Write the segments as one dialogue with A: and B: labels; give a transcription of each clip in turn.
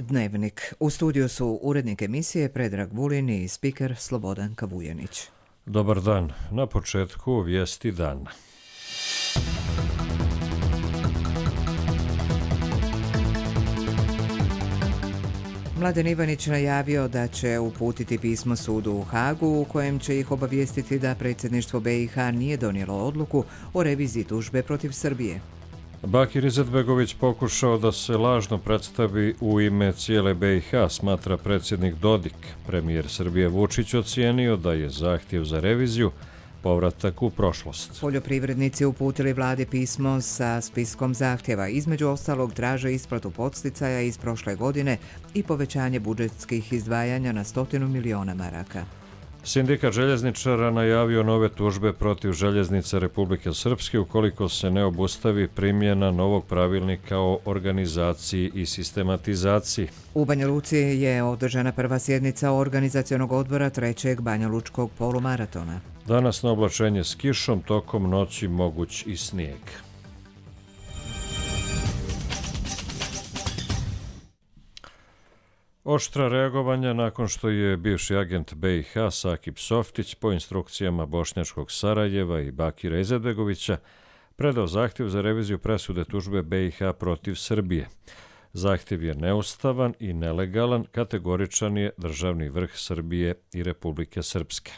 A: Dnevnik. U studiju su urednik emisije Predrag Vulin i spiker Slobodan Kavujanić.
B: Dobar dan. Na početku vijesti dana.
A: Mladen Ivanić najavio da će uputiti pismo sudu u Hagu u kojem će ih obavijestiti da predsjedništvo BiH nije donijelo odluku o reviziji tužbe protiv Srbije.
B: Bakir Izetbegović pokušao da se lažno predstavi u ime cijele BiH, smatra predsjednik Dodik. Premijer Srbije Vučić ocijenio da je zahtjev za reviziju povratak u prošlost.
A: Poljoprivrednici uputili vladi pismo sa spiskom zahtjeva. Između ostalog traže isplatu podsticaja iz prošle godine i povećanje budžetskih izdvajanja na 100 miliona maraka.
B: Sindikat željezničara najavio nove tužbe protiv željeznica Republike Srpske ukoliko se ne obustavi primjena novog pravilnika o organizaciji i sistematizaciji.
A: U Banja Luci je održana prva sjednica organizacionog odbora trećeg banjalučkog polumaratona.
B: Danas na oblačenje s kišom, tokom noći moguć i snijeg. Oštra reagovanja nakon što je bivši agent BiH Sakip Softić po instrukcijama bošnjačkog Sarajeva i Bakira Izetbegovića predao zahtjev za reviziju presude tužbe BiH protiv Srbije. Zahtjev je neustavan i nelegalan, kategoričan je državni vrh Srbije i Republike Srpske.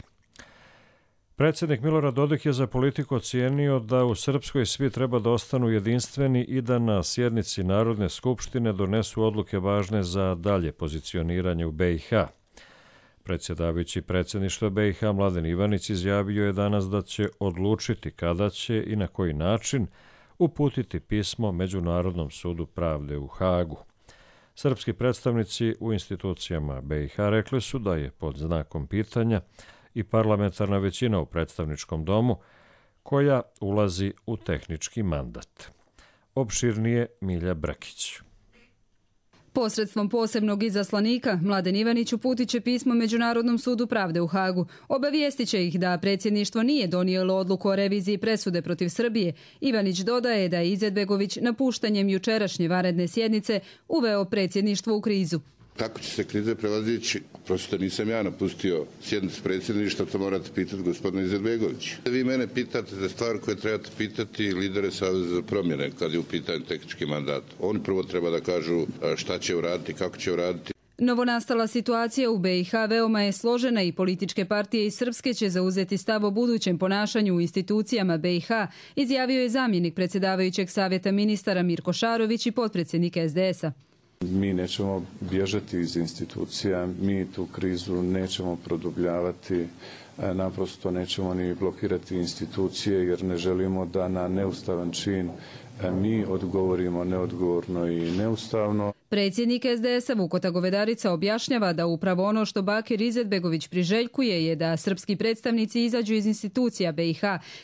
B: Predsjednik Milorad Dodik je za politiku ocijenio da u Srpskoj svi treba da ostanu jedinstveni i da na sjednici Narodne skupštine donesu odluke važne za dalje pozicioniranje u BiH. Predsjedavajući predsjedništva BiH Mladen Ivanić izjavio je danas da će odlučiti kada će i na koji način uputiti pismo Međunarodnom sudu pravde u Hagu. Srpski predstavnici u institucijama BiH rekli su da je pod znakom pitanja i parlamentarna većina u predstavničkom domu koja ulazi u tehnički mandat. Opširnije Milja Brkić.
C: Posredstvom posebnog izaslanika, Mladen Ivanić uputit će pismo Međunarodnom sudu pravde u Hagu. Obavijestit će ih da predsjedništvo nije donijelo odluku o reviziji presude protiv Srbije. Ivanić dodaje da je Izetbegović napuštanjem jučerašnje vanredne sjednice uveo predsjedništvo u krizu.
D: Kako će se krize prevazići? Prosto nisam ja napustio sjednicu predsjedništva, to morate pitati gospodina Izetbegovića. Vi mene pitate za stvar koje trebate pitati lidere Saveza za promjene kad je u pitanju tehnički mandat. Oni prvo treba da kažu šta će uraditi, kako će uraditi.
C: Novonastala situacija u BiH veoma je složena i političke partije iz Srpske će zauzeti stav o budućem ponašanju u institucijama BiH, izjavio je zamjenik predsjedavajućeg savjeta ministara Mirko Šarović i potpredsjednik SDS-a.
E: Mi nećemo bježati iz institucija, mi tu krizu nećemo produbljavati, naprosto nećemo ni blokirati institucije jer ne želimo da na neustavan čin mi odgovorimo neodgovorno i neustavno.
C: Predsjednik SDS-a Vukota Govedarica objašnjava da upravo ono što Bakir Izetbegović priželjkuje je da srpski predstavnici izađu iz institucija BiH.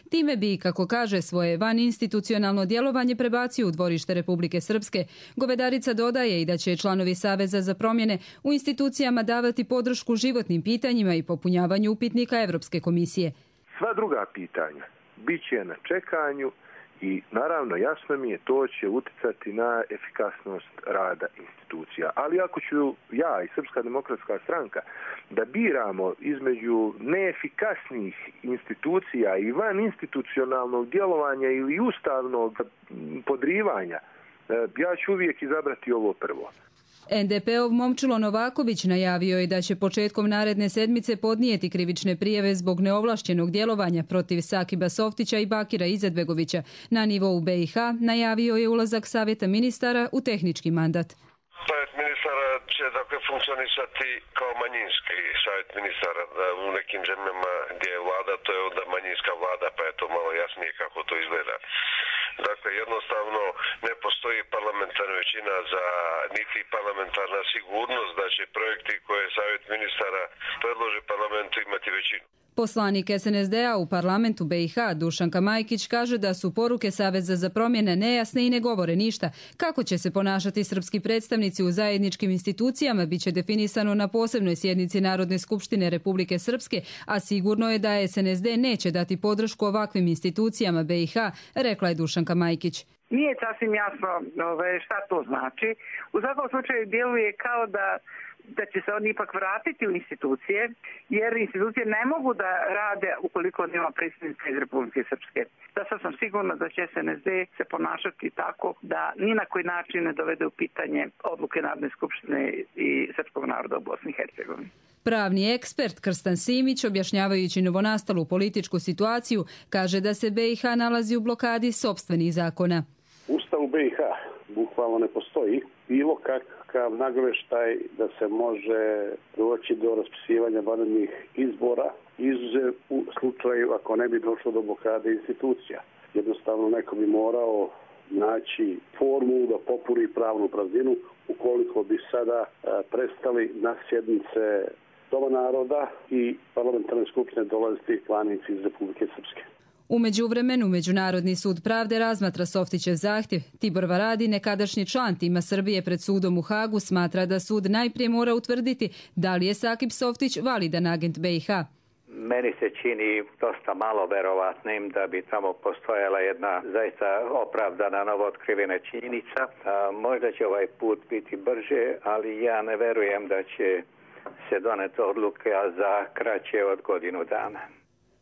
C: Time bi, kako kaže, svoje vaninstitucionalno djelovanje prebacio u dvorište Republike Srpske. Govedarica dodaje i da će članovi Saveza za promjene u institucijama davati podršku životnim pitanjima i popunjavanju upitnika Evropske komisije.
F: Sva druga pitanja bit će na čekanju. I naravno jasno mi je to će uticati na efikasnost rada institucija. Ali ako ću ja i Srpska demokratska stranka da biramo između neefikasnih institucija i van institucionalnog djelovanja ili ustavnog podrivanja, ja ću uvijek izabrati ovo prvo.
C: NDP-ov Momčilo Novaković najavio je da će početkom naredne sedmice podnijeti krivične prijave zbog neovlašćenog djelovanja protiv Sakiba Softića i Bakira Izetbegovića. Na nivou BiH najavio je ulazak savjeta ministara u tehnički mandat.
G: Savjet ministara će dakle funkcionisati kao manjinski savjet ministara. U nekim zemljama gdje je vlada, to je onda manjinska vlada, pa je to malo jasnije kako to izgleda. Dakle, jednostavno ne postoji parlamentarna većina za niti parlamentarna sigurnost da će projekti koje savjet ministara predloži parlamentu imati većinu.
C: Poslanik SNSD-a u parlamentu BiH Dušanka Majkić kaže da su poruke Saveza za promjene nejasne i ne govore ništa. Kako će se ponašati srpski predstavnici u zajedničkim institucijama biće definisano na posebnoj sjednici Narodne skupštine Republike Srpske, a sigurno je da SNSD neće dati podršku ovakvim institucijama BiH, rekla je Dušanka Majkić.
H: Nije sasvim jasno šta to znači. U svakom slučaju djeluje kao da će se oni ipak vratiti u institucije, jer institucije ne mogu da rade ukoliko nema predsjednika iz Republike Srpske. Da sad sam sigurna da će SNSD se ponašati tako da ni na koji način ne dovede u pitanje odluke Narodne skupštine i srpskog naroda u Bosni i Hercegovini.
C: Pravni ekspert Krstan Simić, objašnjavajući novonastalu političku situaciju, kaže da se BiH nalazi u blokadi sopstvenih zakona.
I: Ustav u BiH bukvalno ne postoji bilo kakav nagoveštaj da se može doći do raspisivanja vanrednih izbora, izuzev u slučaju ako ne bi došlo do blokade institucija. Jednostavno neko bi morao naći formulu da popuni pravnu prazninu ukoliko bi sada prestali na sjednice Doma naroda i parlamentarne skupštine dolaziti planici iz Republike Srpske.
C: U međuvremenu Međunarodni sud pravde razmatra Softićev zahtjev. Tibor Varadi, nekadašnji član tima Srbije pred sudom u Hagu, smatra da sud najprije mora utvrditi da li je Sakip Softić validan agent BiH.
J: Meni se čini dosta malo verovatnim da bi tamo postojala jedna zaista opravdana novootkrivena činjenica. Možda će ovaj put biti brže, ali ja ne verujem da će se doneti odluka za kraće od godinu dana.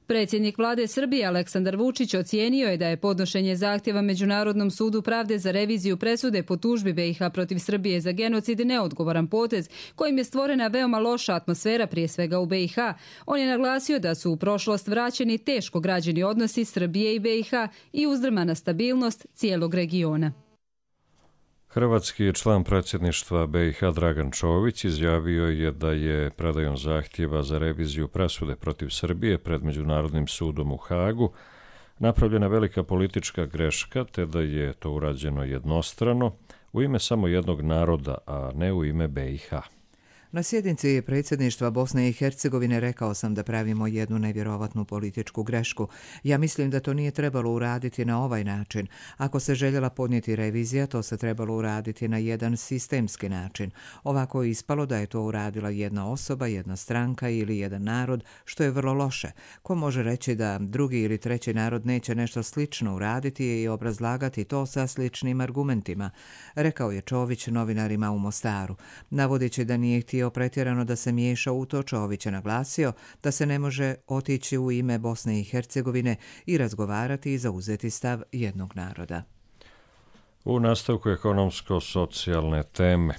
C: Predsjednik vlade Srbije Aleksandar Vučić ocijenio je da je podnošenje zahtjeva Međunarodnom sudu pravde za reviziju presude po tužbi BiH protiv Srbije za genocid neodgovoran potez kojim je stvorena veoma loša atmosfera prije svega u BiH. On je naglasio da su u prošlost vraćeni teško građeni odnosi Srbije i BiH i uzdrmana stabilnost cijelog regiona.
B: Hrvatski član predsjedništva BiH Dragan Čović izjavio je da je predajom zahtjeva za reviziju presude protiv Srbije pred Međunarodnim sudom u Hagu napravljena velika politička greška, te da je to urađeno jednostrano u ime samo jednog naroda, a ne u ime BiH.
A: Na sjednici predsjedništva Bosne i Hercegovine rekao sam da pravimo jednu nevjerovatnu političku grešku. Ja mislim da to nije trebalo uraditi na ovaj način. Ako se željela podnijeti revizija, to se trebalo uraditi na jedan sistemski način. Ovako je ispalo da je to uradila jedna osoba, jedna stranka ili jedan narod, što je vrlo loše. Ko može reći da drugi ili treći narod neće nešto slično uraditi i obrazlagati to sa sličnim argumentima, rekao je Čović novinarima u Mostaru. Navodeći da nije htio pretjerano da se miješa u to, Čović je naglasio da se ne može otići u ime Bosne i Hercegovine i razgovarati i zauzeti stav jednog naroda.
B: U nastavku ekonomsko-socijalne teme.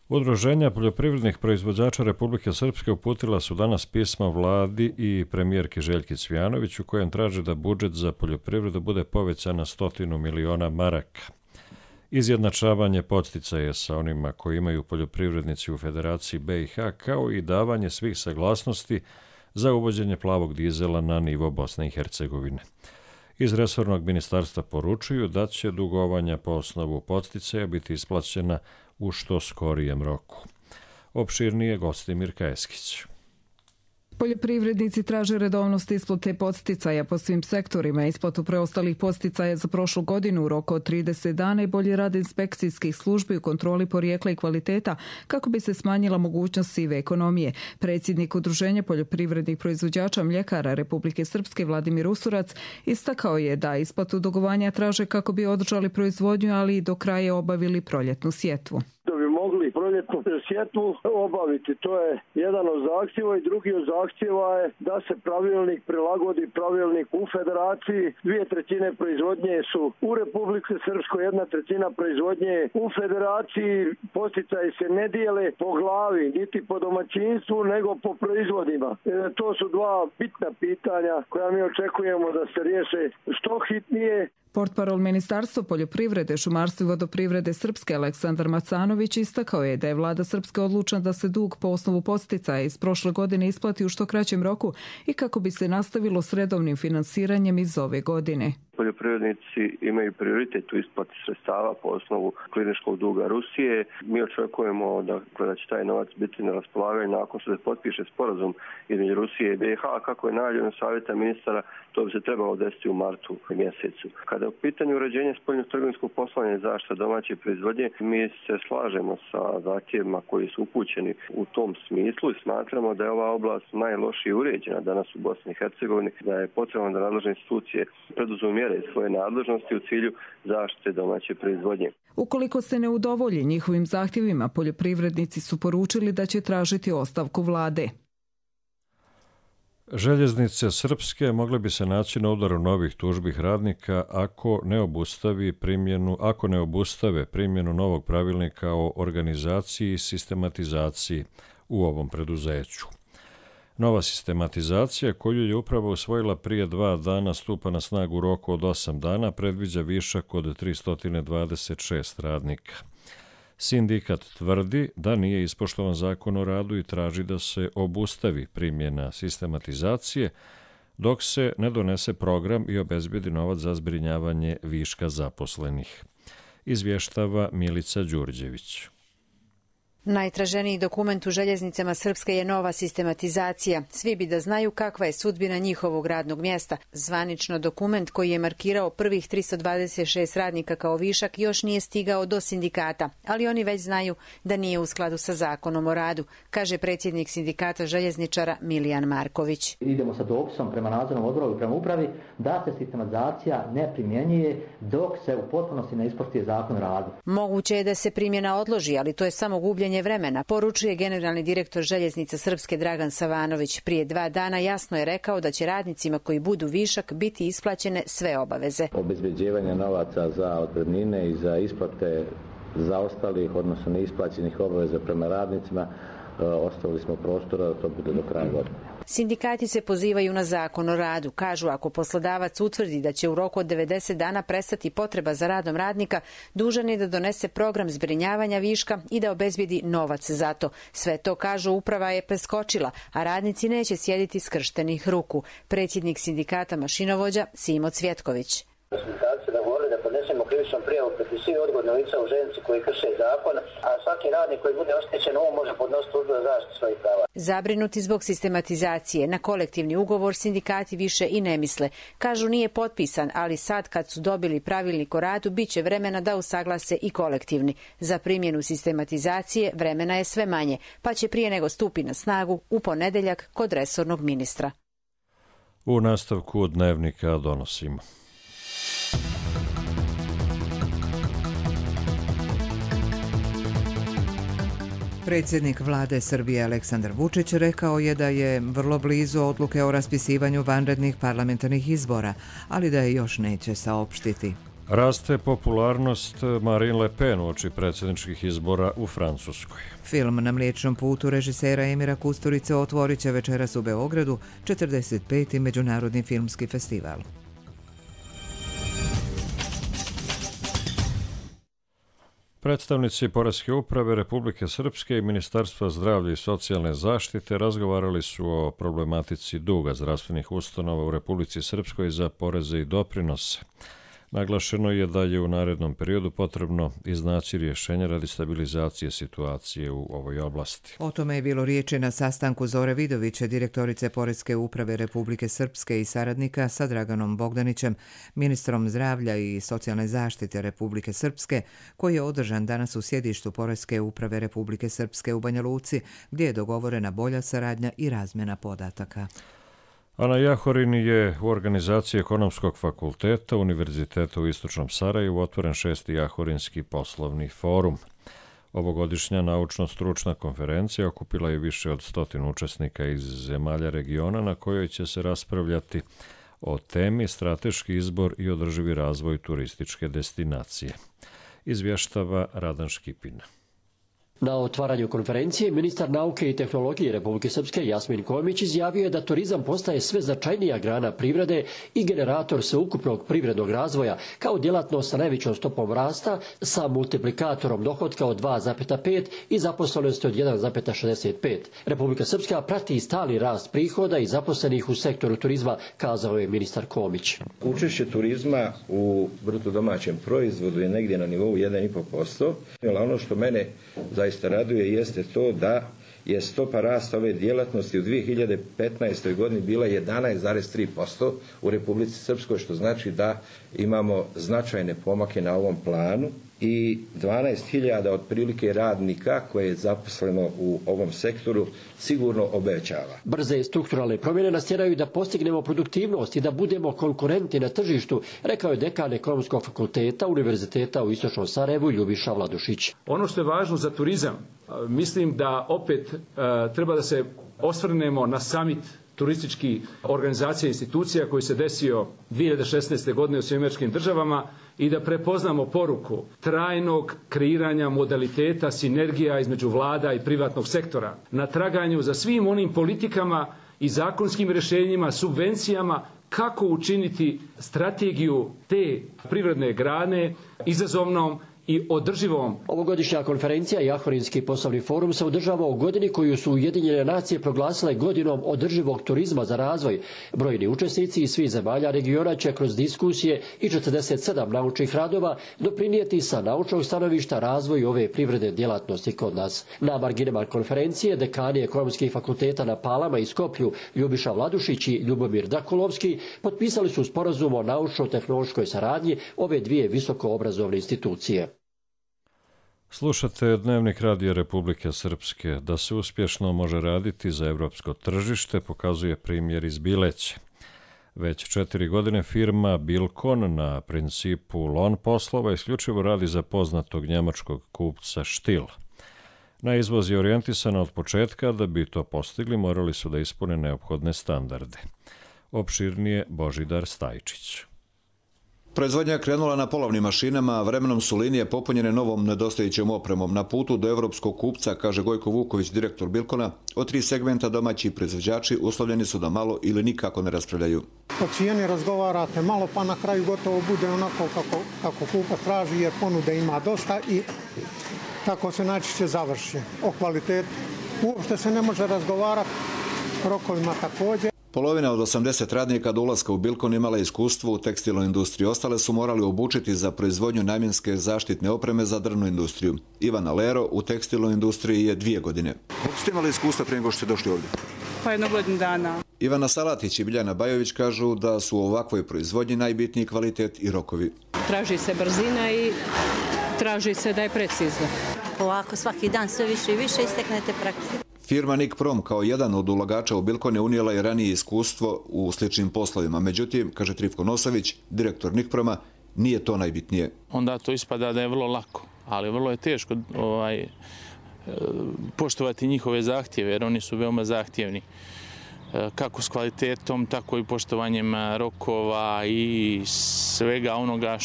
B: Udruženja poljoprivrednih proizvođača Republike Srpske uputila su danas pismo vladi i premijerki Željki Cvijanović u kojem traže da budžet za poljoprivredu bude povećan na 100 miliona maraka. Izjednačavanje podsticaja sa onima koji imaju poljoprivrednici u Federaciji BiH, kao i davanje svih saglasnosti za uvođenje plavog dizela na nivo Bosne i Hercegovine. Iz resornog ministarstva poručuju da će dugovanja po osnovu podsticaja biti isplaćena u što skorijem roku. Opširnije Gostimir Kajeskić.
K: Poljoprivrednici traže redovnost isplate podsticaja po svim sektorima, isplatu preostalih podsticaja za prošlu godinu u roku od 30 dana i bolji rad inspekcijskih službi u kontroli porijekla i kvaliteta kako bi se smanjila mogućnost sive ekonomije. Predsjednik Udruženja poljoprivrednih proizvođača mljekara Republike Srpske Vladimir Usurac istakao je da isplatu dugovanja traže kako bi održali proizvodnju, ali i do kraja obavili proljetnu sjetvu.
L: Mogli proljetnu sjetvu obaviti. To je jedan od zahtjeva i drugi od zahtjeva je da se pravilnik prilagodi pravilnik u Federaciji. 2/3 proizvodnje su u Republike Srpskoj, 1/3 proizvodnje u Federaciji. Podsticaji se ne dijele po glavi, niti po domaćinstvu, nego po proizvodima. To su dva bitna pitanja koja mi očekujemo da se riješe što hitnije.
K: Portparol Ministarstva poljoprivrede, šumarstva i vodoprivrede Srpske Aleksandar Macanović istakao je da je vlada Srpske odlučna da se dug po osnovu podsticaja iz prošle godine isplati u što kraćem roku i kako bi se nastavilo s redovnim finansiranjem iz ove godine.
F: Poljoprivrednici imaju prioritet u isplati sredstava po osnovu kliničkog duga Rusije. Mi očekujemo da će taj novac biti na raspolaganju nakon što se potpiše sporazum između Rusije i BiH, kako je najavljeno savjeta ministara, to bi se trebalo desiti u martu mjesecu. Kada je u pitanju uređenja spoljnotrgovinskog poslovanja i zaštita domaće proizvodnje, mi se slažemo sa zahtjevima koji su upućeni u tom smislu i smatramo da je ova oblast najlošije uređena danas u Bosni i Hercegovini, da je potrebno da nadležne institucije preduzmu
M: mjere iz svoje nadležnosti u cilju zaštite domaće proizvodnje.
K: Ukoliko se ne udovolji njihovim zahtjevima, poljoprivrednici su poručili da će tražiti ostavku vlade.
B: Željeznice srpske mogle bi se naći na udaru novih tužbih radnika ako ne obustave primjenu novog pravilnika o organizaciji i sistematizaciji u ovom preduzeću. Nova sistematizacija, koju je upravo usvojila prije 2 dana, stupa na snagu u roku od 8 dana, predviđa višak od 326 radnika. Sindikat tvrdi da nije ispoštovan zakon o radu i traži da se obustavi primjena sistematizacije dok se ne donese program i obezbedi novac za zbrinjavanje viška zaposlenih. Izvještava Milica Đurđević.
N: Najtraženiji dokument u željeznicama Srpske je nova sistematizacija. Svi bi da znaju kakva je sudbina njihovog radnog mjesta. Zvanično dokument koji je markirao prvih 326 radnika kao višak još nije stigao do sindikata, ali oni već znaju da nije u skladu sa zakonom o radu, kaže predsjednik sindikata željezničara Milijan Marković.
O: Idemo sa dopisom prema nadzornom odboru i prema upravi da se sistematizacija ne primjenjuje dok se u potpunosti ne ispoštuje zakon o radu.
N: Moguće je da se primjena odloži, ali to je samo gubljenje vremena, poručuje generalni direktor Željeznica Srpske Dragan Savanović. Prije 2 dana jasno je rekao da će radnicima koji budu višak biti isplaćene sve obaveze.
P: Obezbeđivanje novaca za otpremnine i za isplate zaostalih, odnosno neisplaćenih obaveza prema radnicima, ostavili smo prostora da to bude do kraja godine.
N: Sindikati se pozivaju na zakon o radu. Kažu, ako poslodavac utvrdi da će u roku od 90 dana prestati potreba za radom radnika, dužan je da donese program zbrinjavanja viška i da obezbedi novac za to. Sve to, kažu, uprava je preskočila, a radnici neće sjediti skrštenih ruku. Predsjednik sindikata mašinovođa Simo Cvjetković.
Q: Sindikati su dogovorili da podnesemo krivičnu prijavu protiv svih odgovornih lica u željeznici koji krše zakon, a svaki radnik koji bude oštećen ovo može podnositi tužbu za zaštitu svojih prava.
N: Zabrinuti zbog sistematizacije, na kolektivni ugovor sindikati više i ne misle. Kažu, nije potpisan, ali sad kad su dobili pravilnik o radu, bit će vremena da usaglase i kolektivni. Za primjenu sistematizacije vremena je sve manje, pa će prije nego stupi na snagu u ponedjeljak kod resornog ministra.
B: U nastavku dnevnika donosimo.
A: Predsjednik vlade Srbije Aleksandar Vučić rekao je da je vrlo blizu odluke o raspisivanju vanrednih parlamentarnih izbora, ali da je još neće saopštiti.
B: Raste popularnost Marine Le Pen uoči predsjedničkih izbora u Francuskoj.
A: Film Na mliječnom putu režisera Emira Kusturice otvorit će večeras u Beogradu 45. Međunarodni filmski festival.
B: Predstavnici Poreske uprave Republike Srpske i Ministarstva zdravlja i socijalne zaštite razgovarali su o problematici duga zdravstvenih ustanova u Republici Srpskoj za poreze i doprinose. Naglašeno je da je u narednom periodu potrebno iznaći rješenje radi stabilizacije situacije u ovoj oblasti.
A: O tome je bilo riječi na sastanku Zore Vidovića, direktorice Poreske uprave Republike Srpske i saradnika sa Draganom Bogdanićem, ministrom zdravlja i socijalne zaštite Republike Srpske, koji je održan danas u sjedištu Poreske uprave Republike Srpske u Banja Luci, gdje je dogovorena bolja saradnja i razmjena podataka.
B: Ana Jahorin je u organizaciji Ekonomskog fakulteta Univerziteta u Istočnom Sarajevu otvoren 6. Jahorinski poslovni forum. Ovogodišnja naučno-stručna konferencija okupila je više od 100 učesnika iz zemalja regiona na kojoj će se raspravljati o temi strateški izbor i održivi razvoj turističke destinacije. Izvještava Radan Škipin.
R: Na otvaranju konferencije ministar nauke i tehnologije Republike Srpske Jasmin Komić izjavio je da turizam postaje sve značajnija grana privrede i generator sveukupnog privrednog razvoja kao djelatnost sa najvećom stopom rasta, sa multiplikatorom dohotka od 2,5 i zaposlenosti od 1,65. Republika Srpska prati stali rast prihoda i zaposlenih u sektoru turizma, kazao je ministar Komić.
S: Učešće turizma u bruto domaćem proizvodu je negdje na nivou 1,5%. Ono što mene zaista raduje jeste to da je stopa rasta ove djelatnosti u 2015. godini bila 11,3% u Republici Srpskoj, što znači da imamo značajne pomake na ovom planu i 12.000 otprilike radnika koje je zaposleno u ovom sektoru sigurno obećava.
R: Brze strukturalne promjene nas tjeraju da postignemo produktivnost i da budemo konkurentni na tržištu, rekao je dekan Ekonomskog fakulteta Univerziteta u Istočnom Sarajevu Ljubiša Vladušić.
T: Ono što je važno za turizam, mislim da opet treba da se osvrnemo na summit turističkih organizacija i institucija koji se desio 2016. godine u SAD-u i da prepoznamo poruku trajnog kreiranja modaliteta sinergija između vlada i privatnog sektora na traganju za svim onim politikama i zakonskim rješenjima, subvencijama kako učiniti strategiju te privredne grane izazovnom i održivom.
R: Ovogodišnja konferencija i Ahvarinski poslovni forum se održava u godini koju su Ujedinjene nacije proglasile godinom održivog turizma za razvoj. Brojni učesnici iz svih zemalja regiona će kroz diskusije i 47 naučnih radova doprinijeti sa naučnog stanovišta razvoju ove privredne djelatnosti kod nas. Na marginama konferencije dekani ekonomskih fakulteta na Palama i Skoplju Ljubiša Vladušić i Ljubomir Dakulovski potpisali su sporazum o naučno-tehnološkoj saradnji ove dvije visokoobrazovne institucije.
B: Slušate Dnevnik Radija Republike Srpske. Da se uspješno može raditi za evropsko tržište pokazuje primjer iz Bileće. Već 4 godine firma Bilkon na principu lon poslova isključivo radi za poznatog njemačkog kupca Stihl. Na izvoz je orijentisana od početka, da bi to postigli morali su da ispune neophodne standarde. Opširnije Božidar Stajčić.
U: Proizvodnja je krenula na polovnim mašinama, a vremenom su linije popunjene novom nedostajućom opremom. Na putu do evropskog kupca, kaže Gojko Vuković, direktor Bilkona, od 3 segmenta domaći proizvođači uslovljeni su da malo ili nikako ne raspravljaju.
V: O cijeni razgovarate malo, pa na kraju gotovo bude onako kako kupac traži, jer ponude ima dosta i tako se najčešće završi. O kvalitetu uopšte se ne može razgovarati, rokovima također.
U: Polovina od 80 radnika do ulaska u Bilkon imala iskustvo u tekstilnoj industriji. Ostale su morali obučiti za proizvodnju namjenske zaštitne opreme za drvnu industriju. Ivana Lero u tekstilnoj industriji je 2 godine. Kako ste imali iskustva prije nego što ste došli ovdje?
W: Pa 1 godinu dana.
U: Ivana Salatić i Biljana Bajović kažu da su u ovakvoj proizvodnji najbitniji kvalitet i rokovi.
W: Traži se brzina i traži se da je precizno.
X: Ovako svaki dan sve više i više isteknete praktike.
U: Firma Nikprom kao jedan od ulagača u Bilkon je unijela i ranije iskustvo u sličnim poslovima. Međutim, kaže Trifko Nosavić, direktor Nikproma, nije to najbitnije.
Y: Onda to ispada da je vrlo lako, ali vrlo je teško poštovati njihove zahtjeve, jer oni su veoma zahtjevni. Kako s kvalitetom, tako i poštovanjem rokova i svega onoga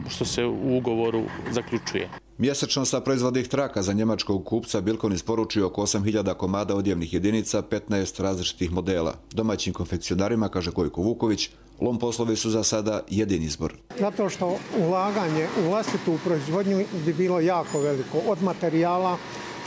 Y: što se u ugovoru zaključuje.
U: Mjesečno sa proizvodnih traka za njemačkog kupca Bilkon isporučio oko 8.000 komada odjevnih jedinica, 15 različitih modela. Domaćim konfekcionarima, kaže Gojko Vuković, lom poslovi su za sada jedini izbor.
V: Zato što ulaganje u vlastitu proizvodnju bi bilo jako veliko, od materijala,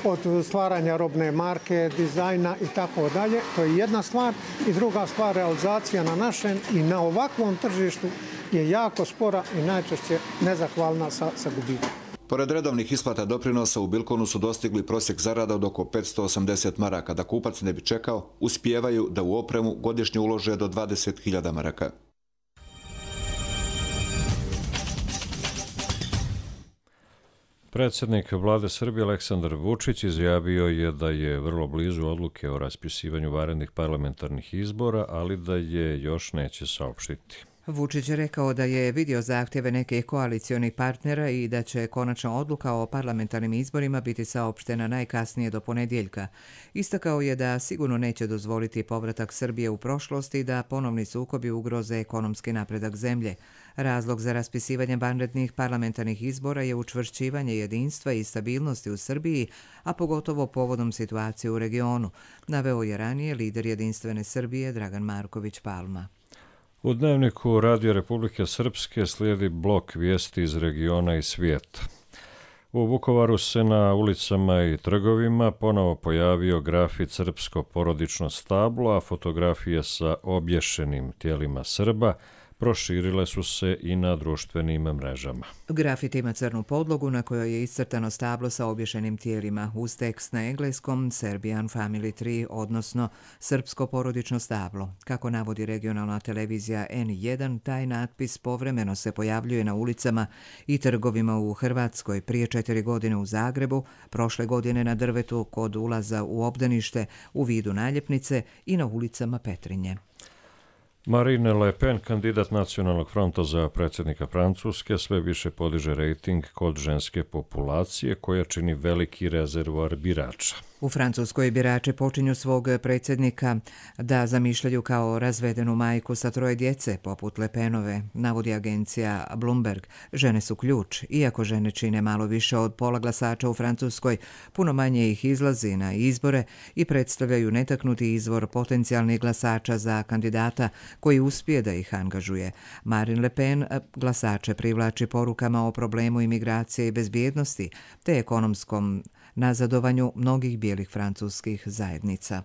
V: od stvaranja robne marke, dizajna i tako dalje. To je jedna stvar. I druga stvar, realizacija na našem i na ovakvom tržištu je jako spora i najčešće nezahvalna sa gubitkom.
U: Pored redovnih isplata doprinosa u Bilkonu su dostigli prosjek zarada od oko 580 maraka. Da kupac ne bi čekao, uspijevaju da u opremu godišnje ulože do 20.000 maraka.
B: Predsjednik vlade Srbije Aleksandar Vučić izjavio je da je vrlo blizu odluke o raspisivanju vanrednih parlamentarnih izbora, ali da je još neće saopštiti.
A: Vučić je rekao da je vidio zahtjeve nekih koalicionih partnera i da će konačna odluka o parlamentarnim izborima biti saopštena najkasnije do ponedjeljka. Istakao je da sigurno neće dozvoliti povratak Srbije u prošlost i da ponovni sukobi ugroze ekonomski napredak zemlje. Razlog za raspisivanje vanrednih parlamentarnih izbora je učvršćivanje jedinstva i stabilnosti u Srbiji, a pogotovo povodom situacije u regionu, naveo je ranije lider Jedinstvene Srbije Dragan Marković Palma.
B: U Dnevniku Radija Republike Srpske slijedi blok vijesti iz regiona i svijeta. U Vukovaru se na ulicama i trgovima ponovo pojavio grafit Srpsko porodično stablo, a fotografije sa obješenim tijelima Srba proširile su se i na društvenim mrežama.
A: Grafit ima crnu podlogu na kojoj je iscrtano stablo sa obješenim tijelima uz tekst na engleskom Serbian Family Tree, odnosno srpsko porodično stablo. Kako navodi regionalna televizija N1, taj natpis povremeno se pojavljuje na ulicama i trgovima u Hrvatskoj, prije 4 godine u Zagrebu, prošle godine na drvetu kod ulaza u obdanište u vidu naljepnice i na ulicama Petrinje.
B: Marine Le Pen, kandidat Nacionalnog fronta za predsjednika Francuske, sve više podiže rejting kod ženske populacije koja čini veliki rezervoar birača.
A: U Francuskoj birači počinju svog predsjednika da zamišljaju kao razvedenu majku sa 3 djece, poput Le Penove, navodi agencija Bloomberg. Žene su ključ. Iako žene čine malo više od pola glasača u Francuskoj, puno manje ih izlazi na izbore i predstavljaju netaknuti izvor potencijalnih glasača za kandidata koji uspije da ih angažuje. Marine Le Pen glasače privlači porukama o problemu imigracije i bezbjednosti te ekonomskom nazadovanju mnogih bijelih francuskih zajednica.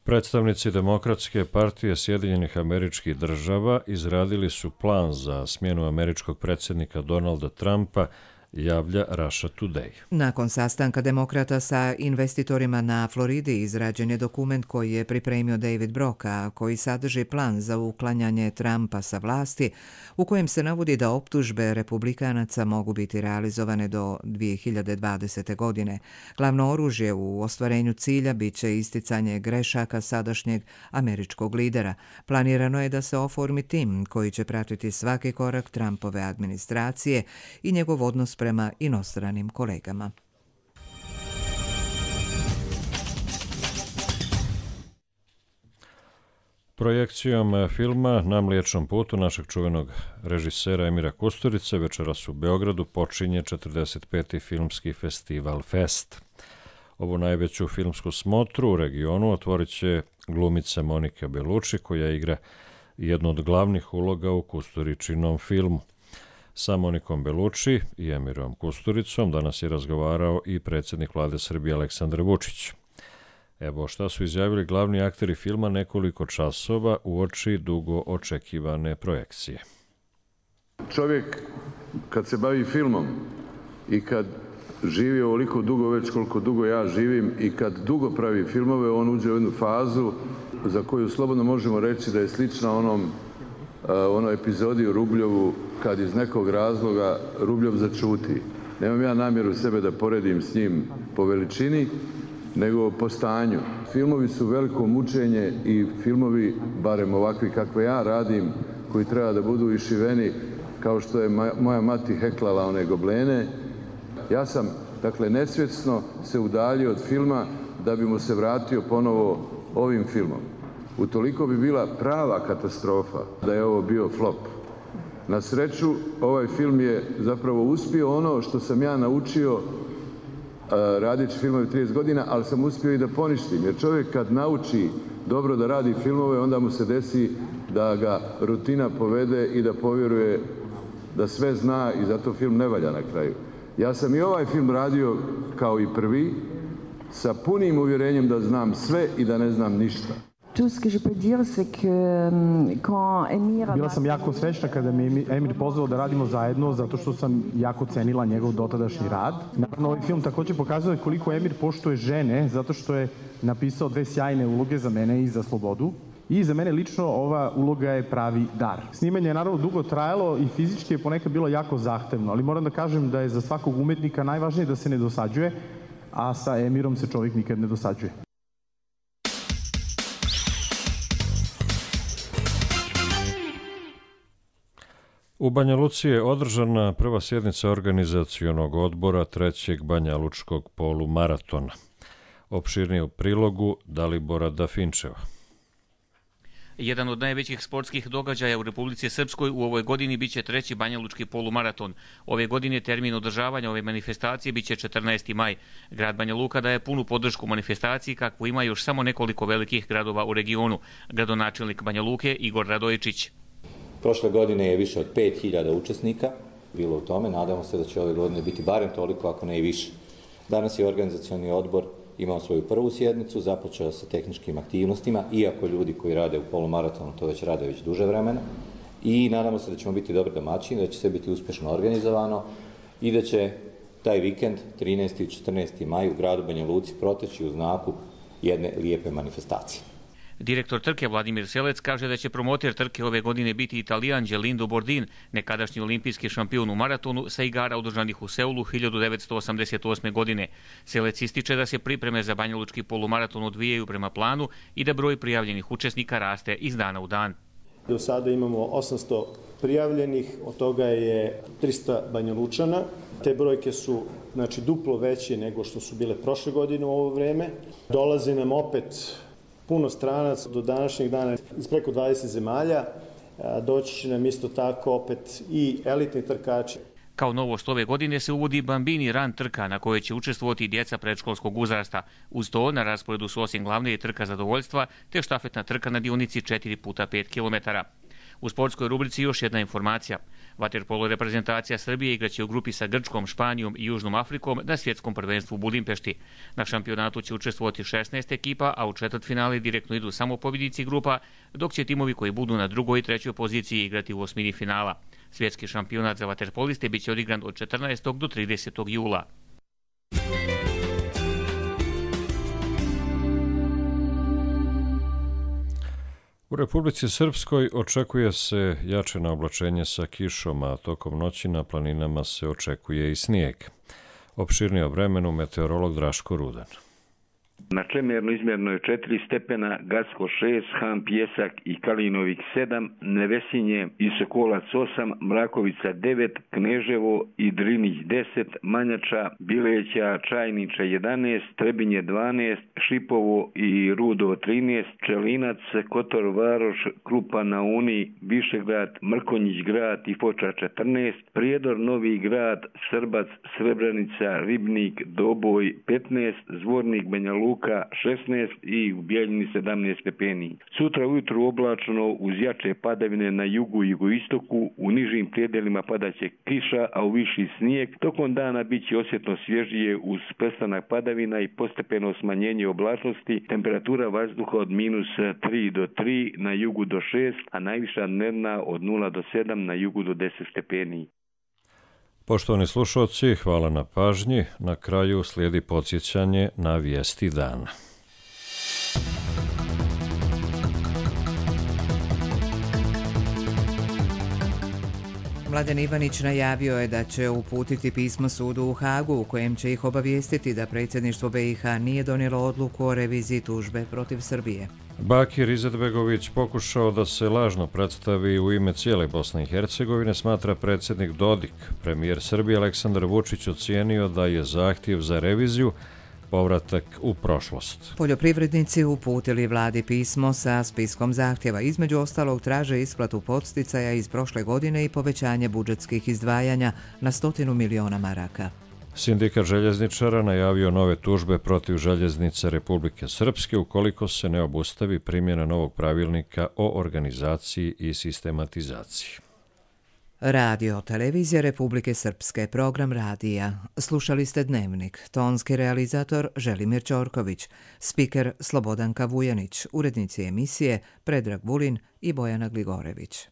B: Predstavnici Demokratske partije Sjedinjenih Američkih Država izradili su plan za smjenu američkog predsjednika Donalda Trumpa, javlja Russia Today.
A: Nakon sastanka demokrata sa investitorima na Floridi izrađen je dokument koji je pripremio David Brock, a koji sadrži plan za uklanjanje Trumpa sa vlasti, u kojem se navodi da optužbe republikanaca mogu biti realizovane do 2020. godine. Glavno oružje u ostvarenju cilja bit će isticanje grešaka sadašnjeg američkog lidera. Planirano je da se oformi tim koji će pratiti svaki korak Trumpove administracije i njegov odnos prema inostranim kolegama.
B: Projekcijom filma Na Mliječnom putu našeg čuvenog režisera Emira Kusturice večeras u Beogradu počinje 45. filmski festival Fest. Ovu najveću filmsku smotru u regionu otvorit će glumica Monika Bellucci, koja igra jednu od glavnih uloga u Kusturičinom filmu. Sa Monikom Bellucci i Emirom Kusturicom danas je razgovarao i predsjednik vlade Srbije Aleksandar Vučić. Evo šta su izjavili glavni akteri filma nekoliko časova uoči dugo očekivane projekcije.
D: Čovjek kad se bavi filmom i kad živi ovoliko dugo, već koliko dugo ja živim, i kad dugo pravi filmove, on uđe u jednu fazu za koju slobodno možemo reći da je slična onoj epizodi u Rubljovu, kad iz nekog razloga Rubljov začuti. Nemam ja namjeru sebe da poredim s njim po veličini, nego po stanju. Filmovi su veliko mučenje i filmovi, barem ovakvi kakve ja radim, koji treba da budu išiveni kao što je moja mati heklala one goblene. Ja sam, dakle, nesvjesno se udaljio od filma da bi mu se vratio ponovo ovim filmom. Utoliko bi bila prava katastrofa da je ovo bio flop. Na sreću, ovaj film je zapravo uspio ono što sam ja naučio radeći filmove 30 godina, ali sam uspio i da poništim. Jer čovjek kad nauči dobro da radi filmove, onda mu se desi da ga rutina povede i da povjeruje da sve zna i zato film ne valja na kraju. Ja sam i ovaj film radio kao i prvi, sa punim uvjerenjem da znam sve i da ne znam ništa.
E: Bila sam jako srećna kada mi Emir pozvao da radimo zajedno, zato što sam jako cenila njegov dotadašnji rad. Naravno, ovaj film također pokazuje koliko Emir poštuje žene, zato što je napisao 2 sjajne uloge za mene i za Slobodu. I za mene lično ova uloga je pravi dar. Snimanje je naravno dugo trajalo i fizički je ponekad bilo jako zahtevno, ali moram da kažem da je za svakog umetnika najvažnije da se ne dosađuje, a sa Emirom se čovjek nikad ne dosađuje.
B: U Banja Luci je održana prva sjednica organizacionog odbora 3. Banjalučkog polumaratona. Opširnije u prilogu Dalibora Dafinčeva.
G: Jedan od najvećih sportskih događaja u Republici Srpskoj u ovoj godini biće 3. Banjalučki polumaraton. Ove godine termin održavanja ove manifestacije biće 14. maj. Grad Banja Luka daje punu podršku manifestaciji kakvu ima još samo nekoliko velikih gradova u regionu. Gradonačelnik Banja Luke Igor Radojičić.
H: Prošle godine je više od 5000 učesnika bilo u tome. Nadamo se da će ove godine biti barem toliko, ako ne i više. Danas je organizacioni odbor imao svoju prvu sjednicu, započeo sa tehničkim aktivnostima, iako ljudi koji rade u polumaratonu to već rade već duže vremena. i nadamo se da ćemo biti dobri domaćini, da će sve biti uspješno organizovano i da će taj vikend 13. i 14. maj u gradu Banja Luci proteći u znaku jedne lijepe manifestacije.
G: Direktor trke Vladimir Selec kaže da će promoter trke ove godine biti Italijan Gelindo Bordin, nekadašnji olimpijski šampion u maratonu sa igara održanih u Seulu 1988. godine. Selec ističe da se pripreme za banjalučki polumaraton odvijaju prema planu i da broj prijavljenih učesnika raste iz dana u dan.
C: Do sada imamo 800 prijavljenih, od toga je 300 Banjalučana. Te brojke su duplo veće nego što su bile prošle godine u ovo vreme. Dolazi nam opet puno stranaca do današnjeg dana iz preko 20 zemalja. Doći će nam isto tako opet i elitni trkači.
G: Kao novost ove godine se uvodi Bambini Run trka na kojoj će učestvovati djeca predškolskog uzrasta. Uz to na rasporedu su osim glavne i trka zadovoljstva te štafetna trka na dionici 4x5 km. U sportskoj rubrici još jedna informacija. Vaterpolo reprezentacija Srbije igraće u grupi sa Grčkom, Španijom i Južnom Afrikom na svjetskom prvenstvu u Budimpešti. Na šampionatu će učestvovati 16 ekipa, a u četvrtfinale direktno idu samo pobjednici grupa, dok će timovi koji budu na drugoj i trećoj poziciji igrati u osmini finala. Svjetski šampionat za vaterpoliste biće odigran od 14. do 30. jula.
B: U Republici Srpskoj očekuje se jače oblačenje sa kišom, a tokom noći na planinama se očekuje i snijeg. Opširnije o vremenu meteorolog Draško Rudan.
F: Na Čemerno izmjerno je 4 stepena, Gacko 6, Han Pjesak i Kalinovik 7, Nevesinje i Sokolac 8, Mrakovica 9, Kneževo i Drinić 10, Manjača, Bileća, Čajniča 11, Trebinje 12, Šipovo i Rudo 13, Čelinac, Kotor Varoš, Krupa na Uni, Višegrad, Mrkonjić grad i Foča 14, Prijedor, Novi grad, Srbac, Srebrenica, Ribnik, Doboj 15, Zvornik, Banja Luka 16 i u Bijeljini 17 stepeni. Sutra ujutru oblačno uz jače padavine na jugu i jugoistoku, u nižim prijedelima padaće kiša, a u viši snijeg. Tokom dana bit će osjetno svježije uz prestanak padavina i postepeno smanjenje oblačnosti, temperatura vazduha od -3 do 3, na jugu do 6, a najviša dnevna od 0 do 7, na jugu do 10 stepeni.
B: Poštovani slušalci, hvala na pažnji. Na kraju slijedi podsjećanje na vijesti dana.
A: Mladen Ivanić najavio je da će uputiti pismo sudu u Hagu u kojem će ih obavijestiti da predsjedništvo BiH nije donijelo odluku o reviziji tužbe protiv Srbije.
B: Bakir Izetbegović pokušao da se lažno predstavi u ime cijele Bosne i Hercegovine, smatra predsjednik Dodik. Premijer Srbije Aleksandar Vučić ocijenio da je zahtjev za reviziju povratak u prošlost.
A: Poljoprivrednici uputili vladi pismo sa spiskom zahtjeva. Između ostalog traže isplatu podsticaja iz prošle godine i povećanje budžetskih izdvajanja na 100 miliona maraka.
B: Sindikat željezničara najavio nove tužbe protiv željeznice Republike Srpske ukoliko se ne obustavi primjena novog pravilnika o organizaciji i sistematizaciji.
A: Radio Televizija Republike Srpske, program radija. Slušali ste Dnevnik, tonski realizator Želimir Ćorković, spiker Slobodanka Vujanić, urednici emisije Predrag Vulin i Bojana Gligorević.